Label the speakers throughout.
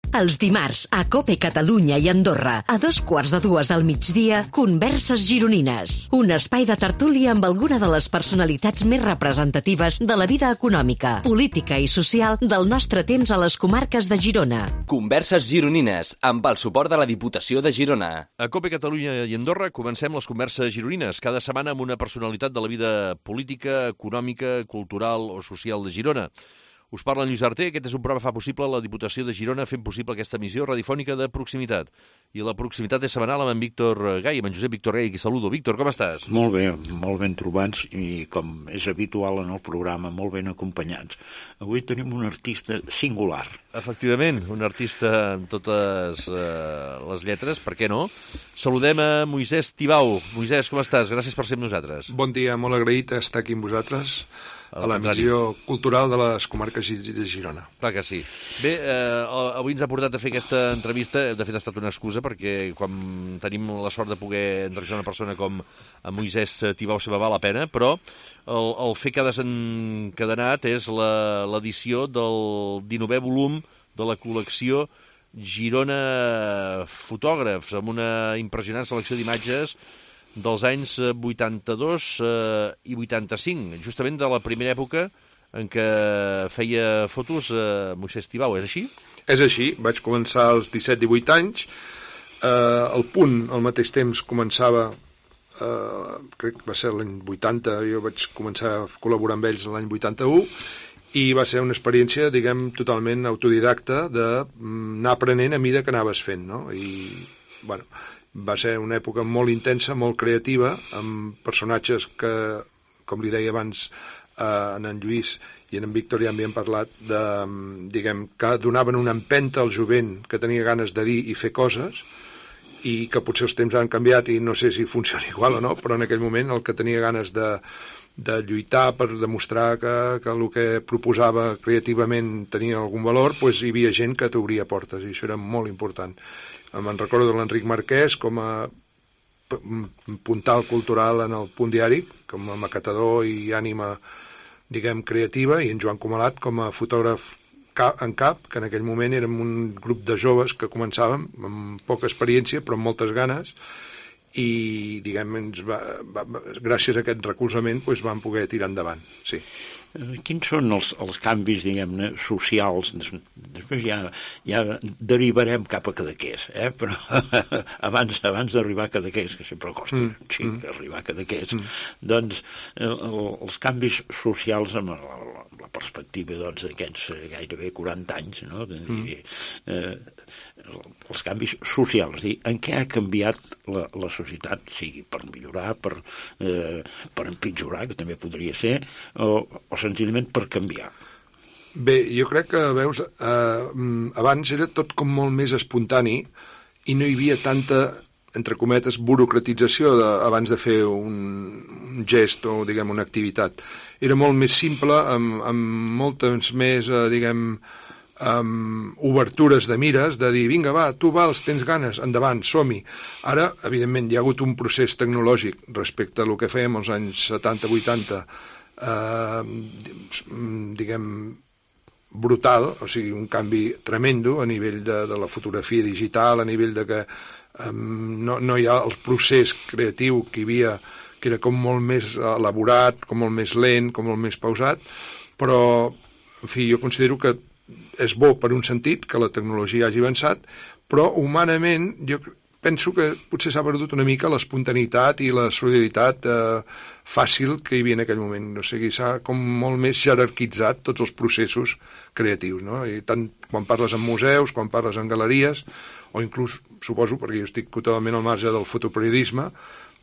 Speaker 1: Els dimarts, a COPE Catalunya i Andorra, a 2:15 del migdia, Converses Gironines. Un espai de tertúlia amb alguna de les personalitats més representatives de la vida econòmica, política i social del nostre temps a les comarques de Girona.
Speaker 2: Converses Gironines, amb el suport de la Diputació de Girona.
Speaker 3: A COPE Catalunya i Andorra comencem les Converses Gironines, cada setmana amb una personalitat de la vida política, econòmica, cultural o social de Girona. Us parla en Lluís Arter. Aquest és un programa que fa possible la Diputació de Girona fent possible aquesta emissió radiofònica de proximitat. I la proximitat és setmanal amb en Víctor Gai, amb en Josep Víctor Gai, qui saludo. Víctor, com estàs?
Speaker 4: Molt ben trobats i, com és habitual en el programa, molt ben acompanyats. Avui tenim un artista singular.
Speaker 3: Efectivament, un artista amb totes les lletres, per què no? Saludem a Moisès Tibau. Moisès, com estàs? Gràcies per ser amb nosaltres.
Speaker 5: Bon dia, molt agraït d'estar aquí amb vosaltres a la missió cultural de les comarques de Girona.
Speaker 3: Clar que sí. Bé, avui ens ha portat a fer aquesta entrevista. De fet, ha estat una excusa, perquè quan tenim la sort de poder entrevistar una persona com a Moisès Tibau se val la pena, però el fet que ha desencadenat és l'edició del 19è volum de la col·lecció Girona Fotògrafs, amb una impressionant selecció d'imatges dels anys 82 i 85, justament de la primera època en què feia fotos Moisès Tibau, és així?
Speaker 5: És així, vaig començar als 17-18 anys, el Punt al mateix temps començava, crec que va ser l'any 80, jo vaig començar a col·laborar amb ells l'any 81, i va ser una experiència, diguem, totalment autodidacta d'anar aprenent a mida que anaves fent, no? I, bueno, va ser una època molt intensa, molt creativa, amb personatges que, com li deia abans en Lluís i en Víctor ja havien parlat, diguem, que donaven una empenta al jovent que tenia ganes de dir i fer coses, i que potser els temps han canviat i no sé si funciona igual o no, però en aquell moment el que tenia ganes de lluitar per demostrar que el que proposava creativament tenia algun valor, doncs hi havia gent que t'obria portes, i això era molt important. Me'n recordo de l'Enric Marquès com a puntal cultural en el Punt Diari, com a macatador i ànima, diguem, creativa, i en Joan Comalat com a fotògraf en cap, que en aquell moment érem un grup de joves que començàvem amb poca experiència però amb moltes ganes, i diguem, gràcies a aquest recolzament doncs vam poder tirar endavant, sí.
Speaker 4: Quins són els canvis, diguem-ne, socials? Després ja derivarem cap a Cadaqués, però abans d'arribar a Cadaqués, que sempre costa arribar a Cadaqués, doncs els canvis socials amb la perspectiva d'aquests gairebé 40 anys, no? Els canvis socials, en què ha canviat la societat, sigui per millorar, per empitjorar, que també podria ser, o senzillament per canviar.
Speaker 5: Bé, jo crec que, veus, abans era tot com molt més espontani i no hi havia tanta, entre cometes, burocratització abans de fer un gest o, diguem, una activitat. Era molt més simple, amb moltes més, diguem, obertures de mires, de dir, vinga, va, tu vals, tens ganes, endavant, som-hi. Ara, evidentment, hi ha hagut un procés tecnològic respecte a el que fèiem als anys 70-80, diguem, brutal, o sigui, un canvi tremendo a nivell de la fotografia digital, a nivell de que no hi ha el procés creatiu que hi havia, que era com molt més elaborat, com molt més lent, com molt més pausat, però, en fi, jo considero que és bo per un sentit que la tecnologia hagi avançat, però humanament jo penso que potser s'ha perdut una mica l'espontaneïtat i la solidaritat fàcil que hi havia en aquell moment. O sigui, s'ha com molt més jerarquitzat tots els processos creatius, no? I tant quan parles en museus, quan parles en galeries, o inclús, suposo, perquè jo estic totalment al marge del fotoperiodisme,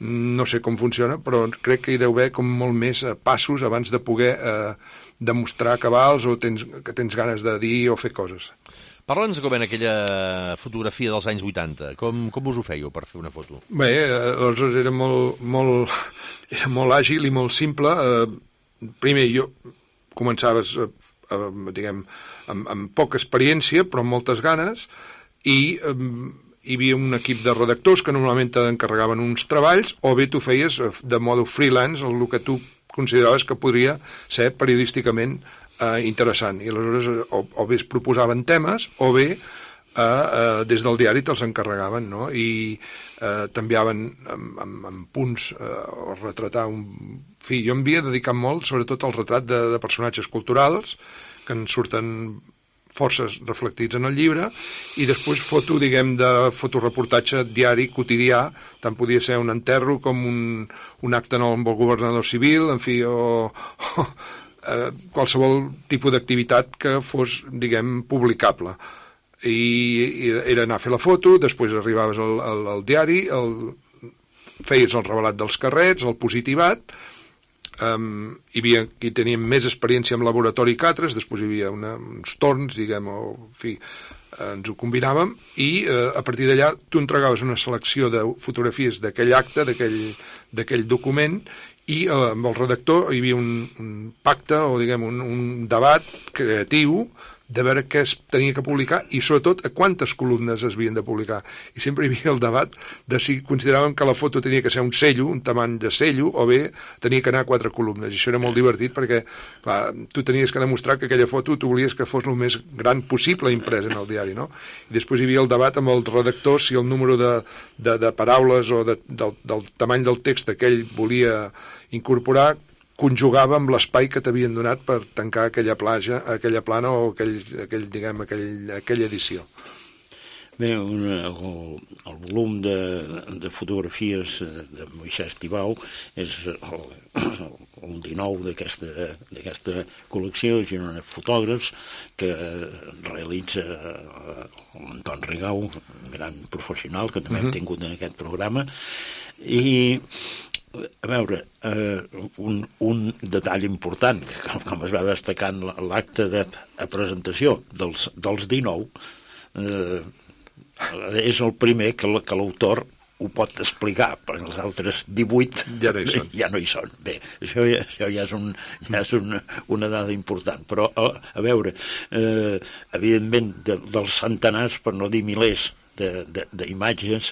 Speaker 5: no sé com funciona, però crec que hi deu haver com molt més passos abans de poder demostrar cabals o que tens ganes de dir o fer coses.
Speaker 3: Parla'ns com en aquella fotografia dels anys 80. Com us ho fèieu per fer una foto?
Speaker 5: Bé, aleshores era molt àgil i molt simple. Primer, jo començaves, diguem, amb poca experiència, però amb moltes ganes, i hi havia un equip de redactors que normalment t'encarregaven uns treballs, o bé tu feies de modo freelance el que tu consideraves que podria ser periodísticament interessant, i aleshores o bé es proposaven temes o bé des del diari te'ls encarregaven, no? I t'enviaven amb punts o retratar un... En fi, jo em havia dedicat molt, sobretot al retrat de personatges culturals, que en surten forces reflectits en el llibre, i després foto, diguem, de fotoreportatge diari, quotidià, tant podia ser un enterro com un acte amb el governador civil, en fi, o qualsevol tipus d'activitat que fos, diguem, publicable. I era anar a fer la foto, després arribaves al diari, feies el revelat dels carrets, el positivat, hi havia qui tenien més experiència en laboratori que altres, després hi havia uns torns, diguem, o en fi, ens ho combinàvem, i a partir d'allà tu entregaves una selecció de fotografies d'aquell acte, d'aquell document, i amb el redactor hi havia un pacte o, diguem, un debat creatiu de veure què es tenia que publicar i, sobretot, a quantes columnes es havien de publicar. I sempre hi havia el debat de si consideraven que la foto tenia que ser un cello, un tamany de cello, o bé tenia que anar a 4 columnes. I això era molt divertit perquè, clar, tu tenies que demostrar que aquella foto tu volies que fos el més gran possible imprès en el diari, no? I després hi havia el debat amb el redactor si el número de paraules o del tamany del text que ell volia incorporar conjugava amb l'espai que t'havien donat per tancar aquella plana o aquella edició.
Speaker 4: Bé, el volum de fotografies de Moisès Tibau és el 19 d'aquesta col·lecció de Girona Fotògrafs que realitza l'Anton Rigau, un gran professional que també hem tingut en aquest programa. I a veure, un detall important, com es va destacar en l'acte de presentació dels 19, és el primer que l'autor ho pot explicar, perquè els altres 18 ja no hi són. Bé, això ja és una dada important. Però, a veure, evidentment, dels centenars, per no dir milers, d'imatges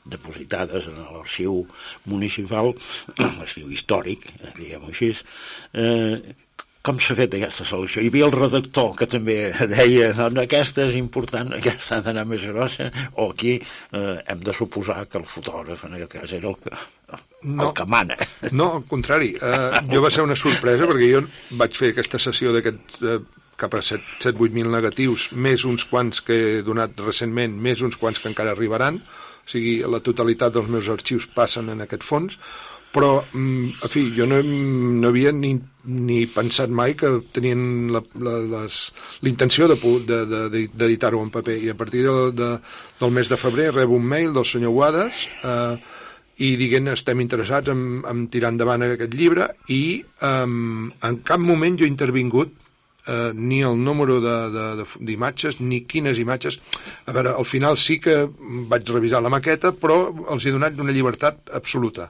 Speaker 4: depositades en l'arxiu municipal, l'arxiu històric, diguem-ho així. Com s'ha fet aquesta selecció? Hi havia el redactor que també deia doncs aquesta és important, aquesta ha d'anar més grossa, o aquí hem de suposar que el fotògraf en aquest cas era el que mana.
Speaker 5: No, al contrari. Jo va ser una sorpresa perquè jo vaig fer aquesta sessió d'aquests cap a 7-8.000 negatius, més uns quants que he donat recentment, més uns quants que encara arribaran, o sigui, la totalitat dels meus arxius passen en aquest fons, però, en fi, jo no havia ni pensat mai que tenien l'intenció d'editar-ho en paper, i a partir del mes de febrer rebo un mail del senyor Guades i dient estem interessats en tirar endavant aquest llibre, i en cap moment jo he intervingut ni el número d'imatges, ni quines imatges. A veure, al final sí que vaig revisar la maqueta, però els he donat una llibertat absoluta.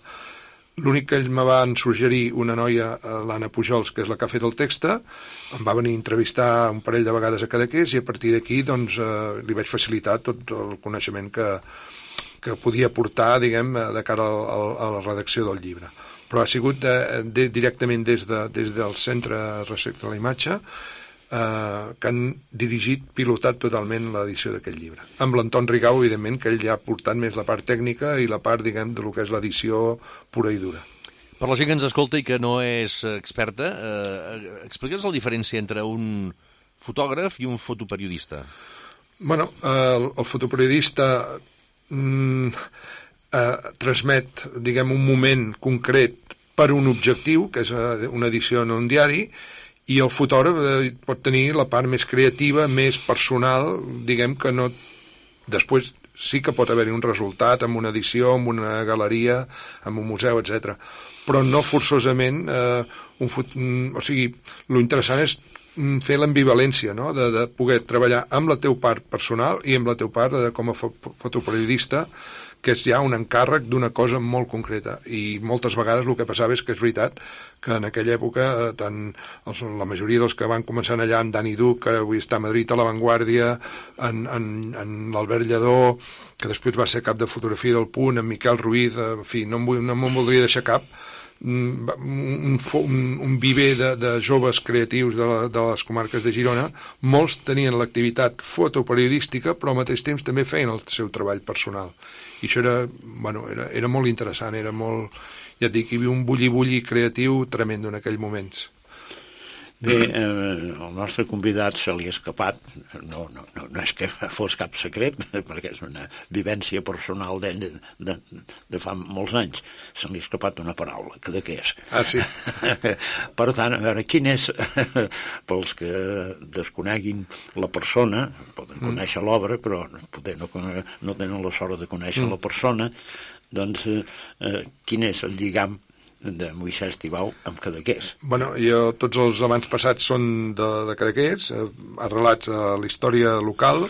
Speaker 5: L'únic que ells me van suggerir una noia, l'Anna Pujols, que és la que ha fet el text, em va venir a entrevistar un parell de vegades a Cadaqués, i a partir d'aquí doncs, li vaig facilitar tot el coneixement que podia portar, diguem, de cara a la redacció del llibre. Però ha sigut directament des del Centre Recerca de la Imatge que han dirigit, pilotat totalment l'edició d'aquest llibre. Amb l'Anton Rigau, evidentment, que ell ja ha portat més la part tècnica i la part, diguem, de lo que és l'edició pura i dura.
Speaker 3: Per la gent que ens escolta i que no és experta, explica'ns la diferència entre un fotògraf i un fotoperiodista.
Speaker 5: Bueno, el fotoperiodista transmet, diguem, un moment concret per un objectiu, que és una edició en un diari, i el fotògraf pot tenir la part més creativa, més personal, diguem que no... Després sí que pot haver-hi un resultat amb una edició, amb una galeria, amb un museu, etc. Però no forçosament... O sigui, l'interessant és fer l'ambivalència, no? De poder treballar amb la teva part personal i amb la teva part com a fotoperiodista, que és ja un encàrrec d'una cosa molt concreta. I moltes vegades el que passava és que és veritat que en aquella època la majoria dels que van començar allà, en Dani Duc, que avui està a Madrid a La Vanguardia, en l'Albert Lledó, que després va ser cap de fotografia del Punt, en Miquel Ruiz, en fi, no me'n voldria deixar cap, un viver de joves creatius de les comarques de Girona. Molts tenien l'activitat fotoperiodística, però al mateix temps també feien el seu treball personal. I això era molt interessant, era molt, ja et dic, hi havia un bulli-bulli creatiu tremendo en aquells moments.
Speaker 4: Bé, el nostre convidat se li ha escapat, no és que fos cap secret, perquè és una vivència personal d'ell de fa molts anys, se li ha escapat una paraula, Cadaqués.
Speaker 5: Ah, sí?
Speaker 4: Per tant, a veure, quin és, pels que desconeguin la persona, poden conèixer l'obra, però potser no tenen la sort de conèixer la persona, doncs quin és el lligam de Moisès Tibau amb Cadaqués?
Speaker 5: Bueno, tots els amants passats són de Cadaqués, arrelats a la història local.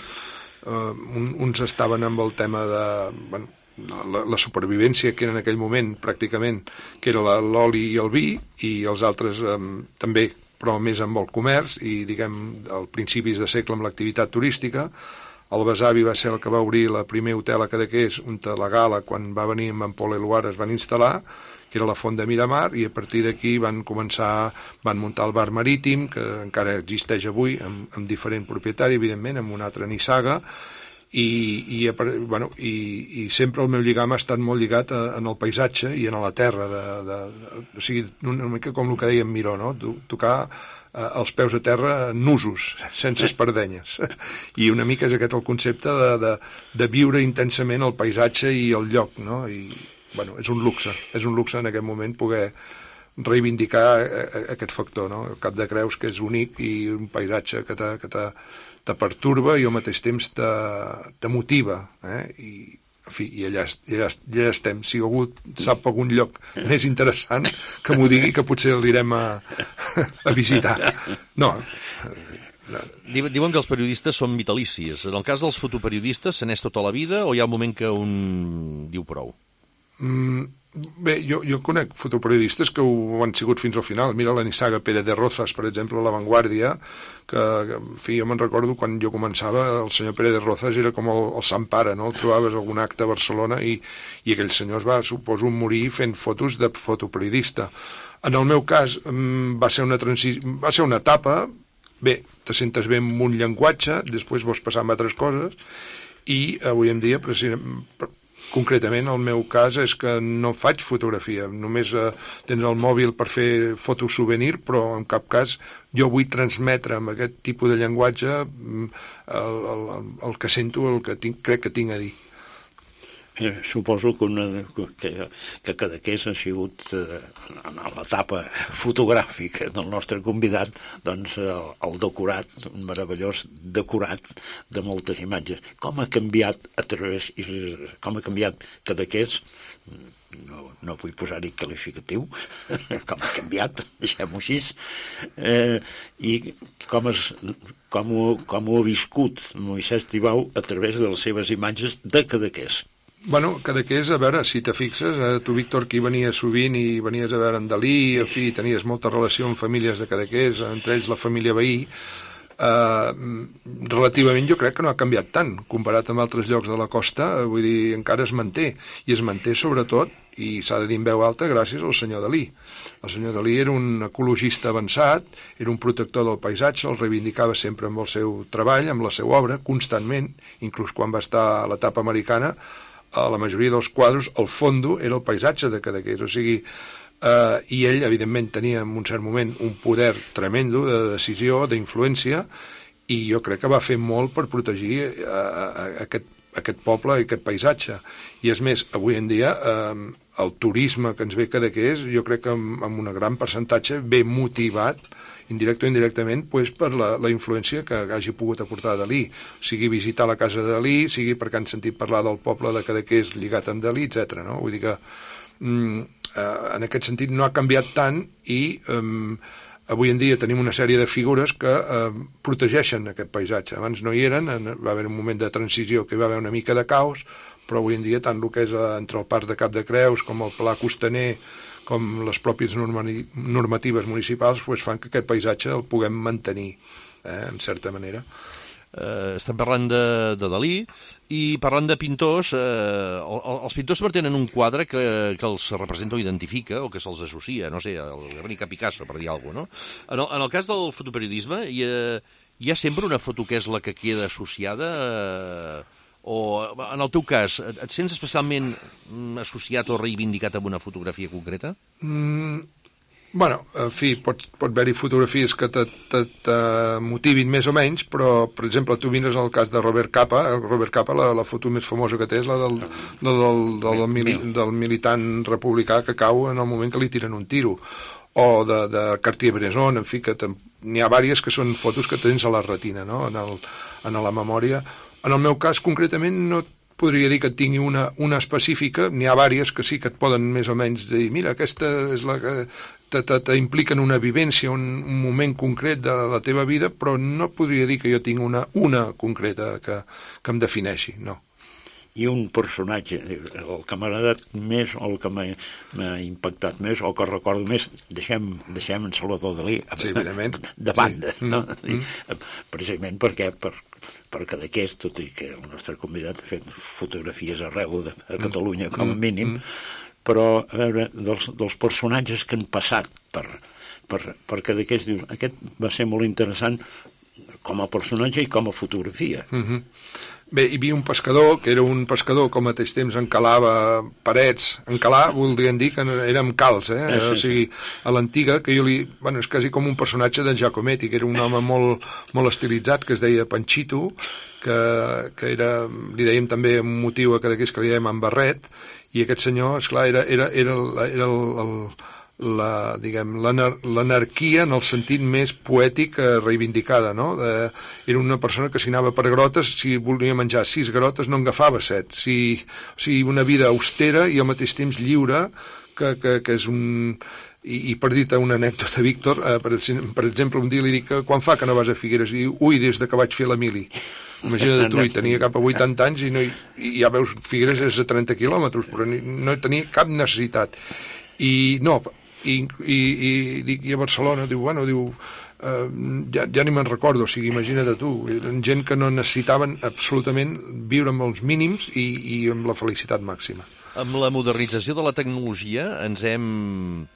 Speaker 5: Uns estaven amb el tema de la supervivència que era en aquell moment, pràcticament, que era l'oli i el vi, i els altres també, però més amb el comerç, i, diguem, al principis de segle amb l'activitat turística. El besavi va ser el que va obrir el primer hotel a Cadaqués, on la Gala, quan va venir amb en Pol Eluard, es van instal·lar, que era la Font de Miramar, i a partir d'aquí van muntar el bar marítim, que encara existeix avui, amb diferent propietari, evidentment, amb un altre nissaga, i sempre el meu lligam ha estat molt lligat en el paisatge i en la terra, o sigui, una mica com el que deia en Miró, no? Tocar els peus a terra nusos, sense espardenyes. I una mica és aquest el concepte de viure intensament el paisatge i el lloc, no? I és un luxe en aquest moment poder reivindicar aquest factor, no? El Cap de Creus, que és únic, i un paisatge que te perturba i al mateix temps te motiva, i en fi, i allà estem. Si algú sap algun lloc més interessant, que m'ho digui, que potser l'irem a visitar. No.
Speaker 3: Diuen que els periodistes són vitalicis. En el cas dels fotoperiodistes, se n'és tota la vida o hi ha un moment que un diu prou?
Speaker 5: Bé, jo conec fotoperiodistes que ho han sigut fins al final. Mira la nissaga Pérez de Rozas, per exemple, a La Vanguardia, que en fi, jo me'n recordo quan jo començava, el senyor Pérez de Rozas era com el Sant Pare, no? El trobaves a algun acte a Barcelona i aquell senyor es va, suposo, morir fent fotos de fotoperiodista. En el meu cas va ser una etapa, bé, te sentes bé amb un llenguatge, després vols passar amb altres coses, i avui en dia, concretament, el meu cas és que no faig fotografia, només tens el mòbil per fer fotosouvenir, però en cap cas jo vull transmetre amb aquest tipus de llenguatge el que sento, el que crec que tinc a dir.
Speaker 4: Suposo que Cadaqués ha sigut, en l'etapa fotogràfica del nostre convidat, doncs el decorat, un meravellós decorat de moltes imatges. Com ha canviat Cadaqués? No vull posar-hi qualificatiu, com ha canviat, deixem-ho així, i com ho ha viscut Moisès Tibau a través de les seves imatges de Cadaqués.
Speaker 5: Bueno, Cadaqués, a veure, si te fixes, tu, Víctor, que hi venies sovint i venies a veure en Dalí, en fi, tenies molta relació amb famílies de Cadaqués, entre ells la família Veí, relativament jo crec que no ha canviat tant, comparat amb altres llocs de la costa, vull dir, encara es manté, i es manté sobretot, i s'ha de dir en veu alta, gràcies al senyor Dalí. El senyor Dalí era un ecologista avançat, era un protector del paisatge, el reivindicava sempre amb el seu treball, amb la seva obra, constantment, inclús quan va estar a l'etapa americana, a la majoria dels quadres, el fondo era el paisatge de Cadaqués, o sigui, i ell, evidentment, tenia en un cert moment un poder tremendo de decisió, d'influència, i jo crec que va fer molt per protegir aquest poble i aquest paisatge. I és més, avui en dia, el turisme que ens ve Cadaqués, jo crec que amb un gran percentatge ve motivat, indirecte o indirectament, per la influència que hagi pogut aportar Dalí, sigui visitar la casa de Dalí, sigui perquè han sentit parlar del poble de Cadaqués lligat amb Dalí, etc. No? Vull dir que en aquest sentit no ha canviat tant i avui en dia tenim una sèrie de figures que protegeixen aquest paisatge. Abans no hi eren, va haver un moment de transició que hi va haver una mica de caos, però avui en dia tant el que és entre el Parc de Cap de Creus com el Pla Costaner, com les pròpies normatives municipals, fan que aquest paisatge el puguem mantenir, en certa manera.
Speaker 3: estem parlant de Dalí, i parlant de pintors, els pintors sempre tenen un quadre que els representa o identifica, o que se'ls associa, no sé, el Guernica Picasso, per dir alguna cosa, no? En el cas del fotoperiodisme, hi ha sempre una foto que és la que queda associada, o en el teu cas, et sents especialment associat o reivindicat amb una fotografia concreta?
Speaker 5: Bueno, en fi, pot haver-hi fotografies que te motivin més o menys, però, per exemple, tu mires el cas de Robert Capa. Robert Capa, la foto més famosa que té és la del militant republicà que cau en el moment que li tiren un tiro. O de Cartier-Bresson, en fi, que n'hi ha diverses que són fotos que tens a la retina, no?, en la memòria. En el meu cas, concretament, no podria dir que et tingui una específica. N'hi ha diverses que sí que et poden més o menys dir, mira, aquesta és la que t'implica en una vivència, un moment concret de la teva vida, però no podria dir que jo tinc una concreta que em defineixi, no.
Speaker 4: I un personatge, el que m'ha agradat més, o el que m'ha impactat més, o que recordo més, deixem en Salvador Dalí,
Speaker 5: sí,
Speaker 4: de banda, sí. No? Precisament perquè Cadaqués, tot i que el nostre convidat ha fet fotografies arreu a Catalunya, com a mínim, però, a veure, dels personatges que han passat per Cadaqués, dius, aquest va ser molt interessant com a personatge i com a fotografia.
Speaker 5: Bé, hi havia un pescador, que era un pescador que al mateix temps encalava parets. Encalar voldrien dir que era amb cals, O sigui, a l'antiga, que jo bueno, és quasi com un personatge d'en Giacometti, que era un home molt estilitzat, que es deia Panchito, que era, li dèiem també un motiu a Cadaqués que li dèiem en barret, i aquest senyor, esclar, era l'anarquia en el sentit més poètic reivindicada, no? Era una persona que si anava per grotes, si volia menjar 6 grotes no en agafava 7, o sigui, una vida austera i al mateix temps lliure, que és un... I per dir-te una anècdota, Víctor, per exemple, un dia li dic, quan fa que no vas a Figueres? I diu, ui, des que vaig fer la mili. Imagina't tu, i tenia cap a 80 anys i ja veus, Figueres és a 30 quilòmetres, però no tenia cap necessitat. I dic, i a Barcelona, diu, ja ni me'n recordo, o sigui, imagina't tu, eren gent que no necessitaven absolutament viure amb els mínims i amb la felicitat màxima.
Speaker 3: Amb la modernització de la tecnologia ens hem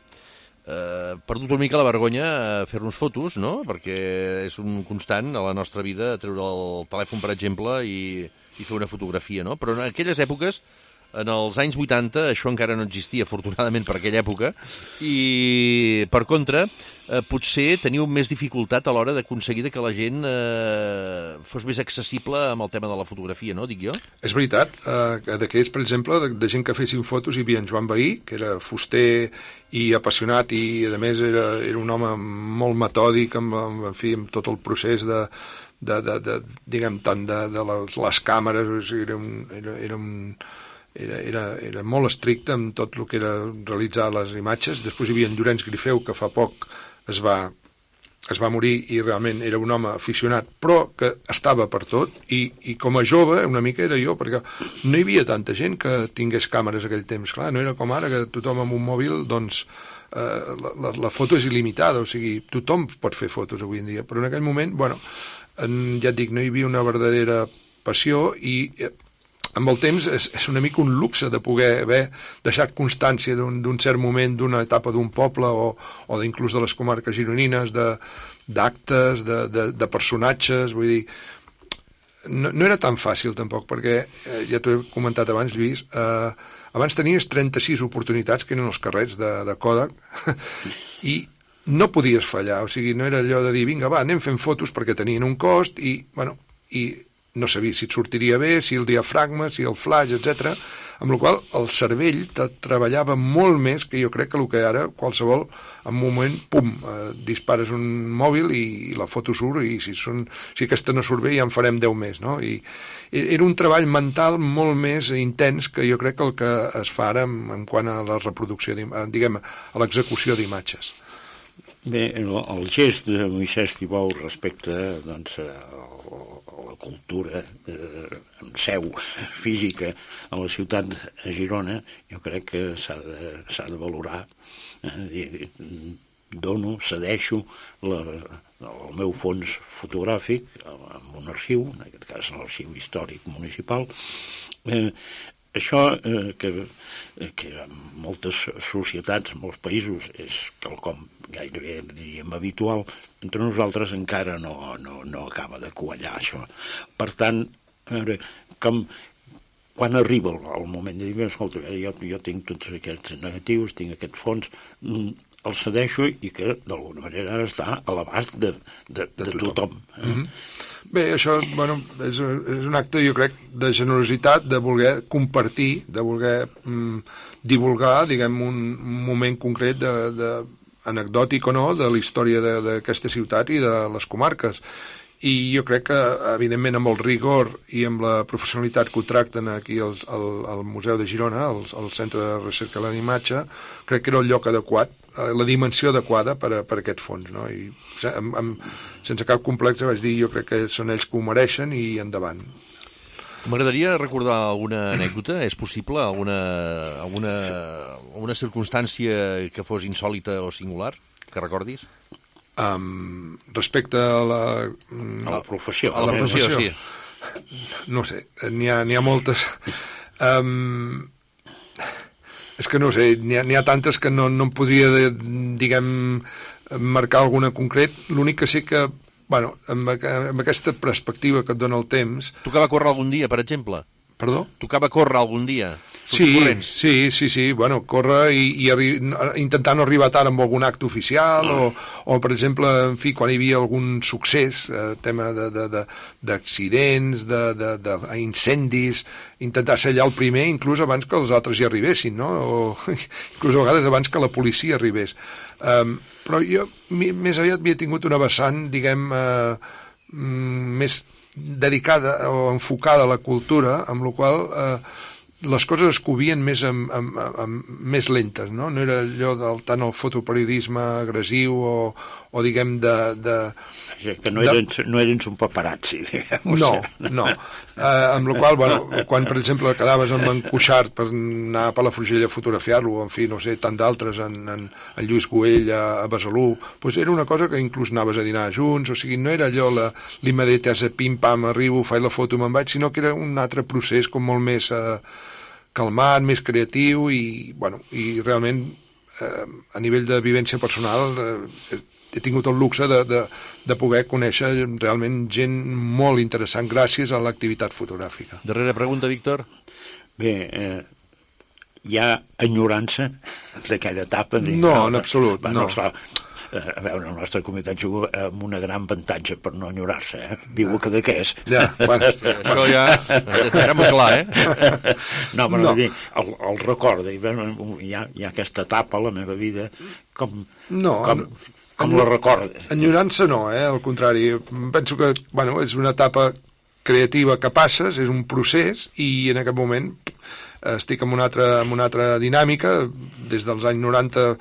Speaker 3: perdut una mica la vergonya a fer-nos fotos, no? Perquè és un constant a la nostra vida treure el telèfon, per exemple, i fer una fotografia, no? Però en aquelles èpoques, en els anys 80, això encara no existia, afortunadament, per aquella època, i, per contra, potser teniu més dificultat a l'hora d'aconseguir que la gent fos més accessible amb el tema de la fotografia, no, dic jo?
Speaker 5: És veritat. D'aquells, per exemple, de gent que fessin fotos, hi havia en Joan Bahí, que era fuster i apassionat, i, a més, era un home molt metòdic, en fi, amb tot el procés diguem, tant de les càmeres, o sigui, era molt estricte amb tot el que era realitzar les imatges. Després hi havia en Llorenç Grifeu, que fa poc es va morir, i realment era un home aficionat, però que estava per tot, i com a jove una mica era jo, perquè no hi havia tanta gent que tingués càmeres aquell temps. Clar, no era com ara, que tothom amb un mòbil, doncs, la foto és il·limitada, o sigui, tothom pot fer fotos avui en dia, però en aquell moment, ja et dic, no hi havia una verdadera passió, i amb el temps és una mica un luxe de poder haver deixat constància d'un cert moment, d'una etapa d'un poble, o inclús de les comarques gironines, d'actes, de personatges. Vull dir, no era tan fàcil tampoc, perquè ja t'ho he comentat abans, Lluís, abans tenies 36 oportunitats, que eren els carrets de Kodak, i no podies fallar, o sigui, no era allò de dir, vinga, va, anem fent fotos, perquè tenien un cost, i no sabia si et sortiria bé, si el diafragma, si el flash, etc. Amb la qual cosa el cervell treballava molt més que jo crec que el que ara qualsevol, en un moment, pum, dispares un mòbil i la foto surt, i si aquesta no surt bé ja en farem 10 més, no? I era un treball mental molt més intens que jo crec que el que es fa ara en quant a la reproducció, diguem, a l'execució d'imatges.
Speaker 4: Bé, el gest de Moisès Tibau respecte, doncs, a la cultura en seu física a la ciutat de Girona, jo crec que s'ha de valorar. cedeixo el meu fons fotogràfic en un arxiu, en aquest cas l'Arxiu Històric Municipal. Això que en moltes societats, en molts països, és quelcom gairebé, diríem, habitual, entre nosaltres encara no acaba de quallar això. Per tant, a veure, quan arriba el moment de dir, escolta, jo tinc tots aquests negatius, tinc aquest fons, el cedeixo i que d'alguna manera ara està a l'abast de tothom.
Speaker 5: Bé, això és un acte, jo crec, de generositat, de voler compartir, de voler divulgar, diguem, un moment concret anecdòtic o no, de la història d'aquesta ciutat i de les comarques. I jo crec que, evidentment, amb el rigor i amb la professionalitat que ho tracten aquí al Museu de Girona, al Centre de Recerca de la Imatge, crec que era el lloc adequat, la dimensió adequada per a aquest fons, no? I sense cap complex vaig dir, jo crec que són ells que ho mereixen i endavant.
Speaker 3: M'agradaria recordar alguna anècdota, és possible? Alguna circumstància que fos insòlita o singular, que recordis?
Speaker 5: Respecte a
Speaker 4: la professió.
Speaker 3: A la professió, sí.
Speaker 5: No sé, n'hi ha moltes. És que no sé, n'hi ha tantes que no em podria, diguem, marcar alguna concret. L'únic que sé que, amb aquesta perspectiva que et dona el temps...
Speaker 3: Tocava córrer algun dia, per exemple?
Speaker 5: Perdó?
Speaker 3: Tocava córrer algun dia?
Speaker 5: Sí, córrer i intentar no arribar tard amb algun acte oficial o, per exemple, en fi, quan hi havia algun succés, tema d'accidents, d'incendis, intentar ser allà el primer, inclús abans que els altres hi arribessin, no? O inclús a vegades abans que la policia arribés. Però jo més aviat havia tingut una vessant, diguem, més dedicada o enfocada a la cultura, amb la qual les coses es covien més lentes, no? No era allò tant el fotoperiodisme agressiu o diguem
Speaker 4: que no eren un paparazzi, diguem.
Speaker 5: No. Amb la qual, quan, per exemple, quedaves amb en Cuixart per anar a Palafrugell a fotografiar-lo, en fi, no sé, tant d'altres, en Lluís Güell a Besalú, doncs era una cosa que inclús anaves a dinar junts, o sigui, no era allò l'immediatesa, pim-pam, arribo, faig la foto, me'n vaig, sinó que era un altre procés com molt més calmat, més creatiu i realment a nivell de vivència personal he tingut el luxe de poder conèixer realment gent molt interessant gràcies a l'activitat fotogràfica.
Speaker 3: Darrera pregunta, Víctor.
Speaker 4: Bé, hi ha enyorança d'aquella etapa?
Speaker 5: No, en absolut, no.
Speaker 4: A veure, la nostra comunitat juga amb un gran avantatge per no enyorar-se, Viu a Cadaqués.
Speaker 5: Ja,
Speaker 3: això ja era molt clar,
Speaker 4: No, però dir, el recorda, hi ha aquesta etapa a la meva vida, com la recordes?
Speaker 5: Enyorança no, al contrari. Penso que, és una etapa creativa que passes, és un procés, i en aquest moment estic en una altra dinàmica. Des dels anys 90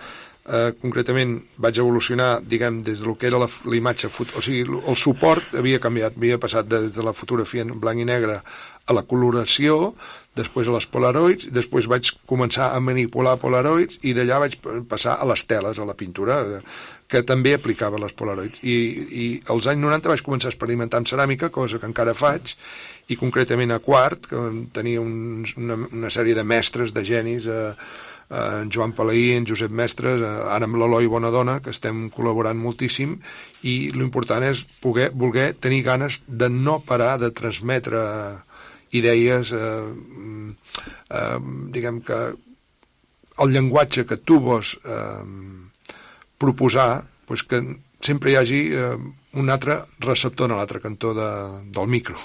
Speaker 5: concretament vaig evolucionar, diguem, des del que era la imatge, o sigui, el suport havia canviat, havia passat des de la fotografia en blanc i negre a la coloració, després a les polaroids, després vaig començar a manipular polaroids i d'allà vaig passar a les teles, a la pintura, que també aplicava les polaroids. I als anys 90 vaig començar a experimentar amb ceràmica, cosa que encara faig, i concretament a Quart, que tenia una sèrie de mestres, de genis, en Joan Palaí, en Josep Mestres, ara amb l'Eloi Bonadona, que estem col·laborant moltíssim, i l'important és voler tenir ganes de no parar de transmetre idees, diguem que el llenguatge que tu vols proposar, doncs que sempre hi hagi un altre receptor a l'altre cantó del micro.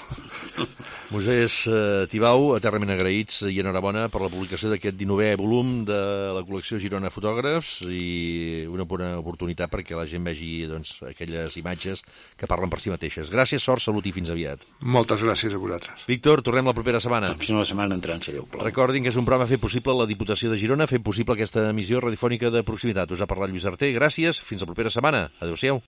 Speaker 3: Moisès Tibau, eternament agraïts i enhorabona per la publicació d'aquest 19è volum de la col·lecció Girona Fotògrafs i una bona oportunitat perquè la gent vegi aquelles imatges que parlen per si mateixes. Gràcies, sort, salut i fins aviat.
Speaker 5: Moltes gràcies a vosaltres.
Speaker 3: Víctor, tornem la propera setmana.
Speaker 4: Fins la setmana entrant, si Déu plau.
Speaker 3: Recordin que és un programa fet possible la Diputació de Girona, fent possible aquesta emissió radiofònica de proximitat. Us ha parlat Lluís Arter. Gràcies, fins la propera setmana. Adéu-siau.